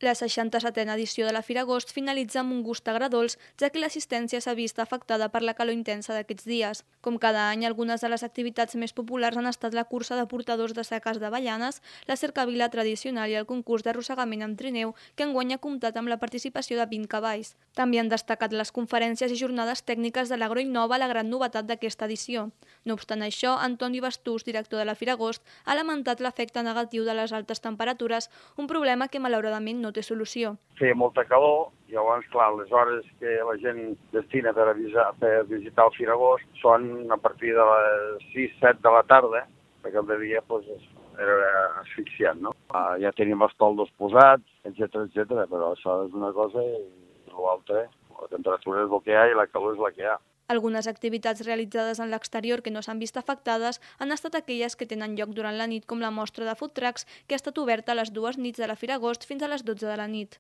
La 67a edició de la Fira Agost finalitza amb un gust agredolç, ja que l'assistència s'ha vist afectada per la calor intensa d'aquests dies. Com cada any, algunes de les activitats més populars han estat la cursa de portadors de seques d'avellanes, la cercavila tradicional i el concurs d'arrossegament amb trineu, que enguany ha comptat amb la participació de 20 cavalls. També han destacat les conferències i jornades tècniques de l'Agroinnova, la gran novetat d'aquesta edició. No obstant això, Antoni Bastús, director de la Fira Agost, ha lamentat l'efecte negatiu de les altes temperatures, un problema que malauradament no té solució. Feia molta calor i llavors, clar, les hores que la gent destina per visitar el Fira Agost són a partir de les 6-7 de la tarda, perquè el de dia era asfixiant, no? Ja tenim els toldos posats, etc, però això és una cosa i l'altra, la temperatura és el que hi ha i la calor és la que hi ha. Algunes activitats realitzades en l'exterior que no s'han vist afectades han estat aquelles que tenen lloc durant la nit, com la mostra de food trucks, que ha estat oberta a les 2 nits de la Fira Agost fins a les 12 de la nit.